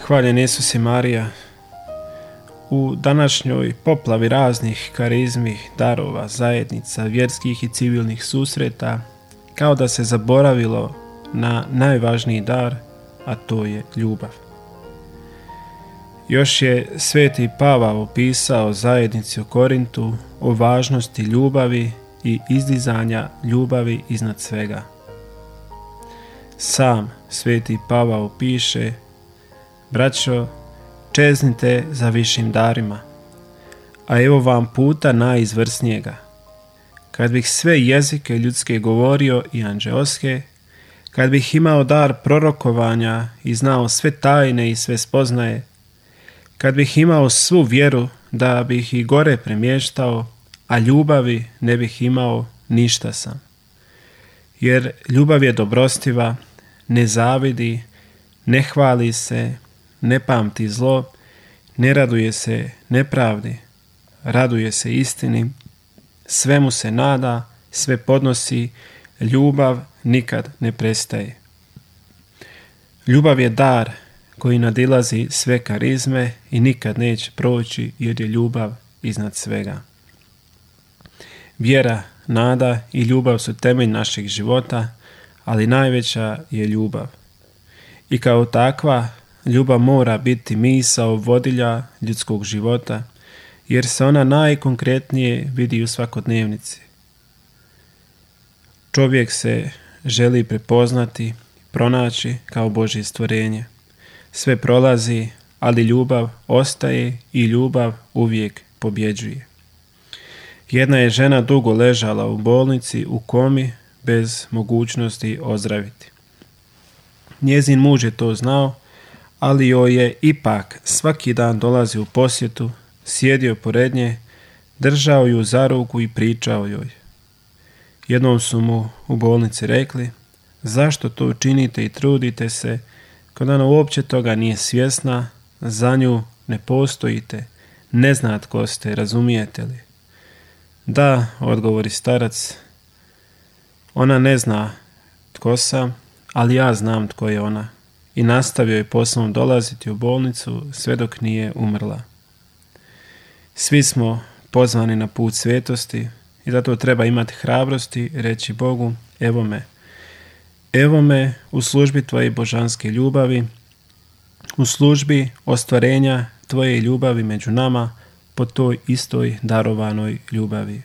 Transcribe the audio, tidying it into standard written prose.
Hvaljen Isus i Marija. U današnjoj poplavi raznih karizmi, darova, zajednica, vjerskih i civilnih susreta, kao da se zaboravilo na najvažniji dar, a to je ljubav. Još je sveti Pavao opisao zajednici u Korintu o važnosti ljubavi i izdizanja ljubavi iznad svega. Sam sveti Pavao piše: braćo, čeznite za višim darima, a evo vam puta najizvrsnijega. Kad bih sve jezike ljudske govorio i anđeoske, kad bih imao dar prorokovanja i znao sve tajne i sve spoznaje, kad bih imao svu vjeru da bih i gore premještao, a ljubavi ne bih imao, ništa sam. Jer ljubav je dobrostiva, ne zavidi, ne hvali se, ne pamti zlo, ne raduje se nepravdi, raduje se istini, svemu se nada, sve podnosi, ljubav nikad ne prestaje. Ljubav je dar koji nadilazi sve karizme i nikad neće proći, jer je ljubav iznad svega. Vjera, nada i ljubav su temelj našeg života, ali najveća je ljubav. I kao takva, ljubav mora biti misao vodilja ljudskog života, jer se ona najkonkretnije vidi u svakodnevnici. Čovjek se želi prepoznati, pronaći kao Božje stvorenje. Sve prolazi, ali ljubav ostaje i ljubav uvijek pobjeđuje. Jedna je žena dugo ležala u bolnici u komi bez mogućnosti ozdraviti. Njezin muž je to znao, ali joj je ipak svaki dan dolazio u posjetu, sjedio pored nje, držao ju za ruku i pričao joj. Jednom su mu u bolnici rekli: zašto to činite i trudite se, kad ona uopće toga nije svjesna, za nju ne postojite, ne zna tko ste, razumijete li? Da, odgovori starac, ona ne zna tko sam, ali ja znam tko je ona. I nastavio je poslom dolaziti u bolnicu sve dok nije umrla. Svi smo pozvani na put svetosti i zato treba imati hrabrosti reći Bogu: evo me u službi tvoje božanske ljubavi, u službi ostvarenja tvoje ljubavi među nama po toj istoj darovanoj ljubavi.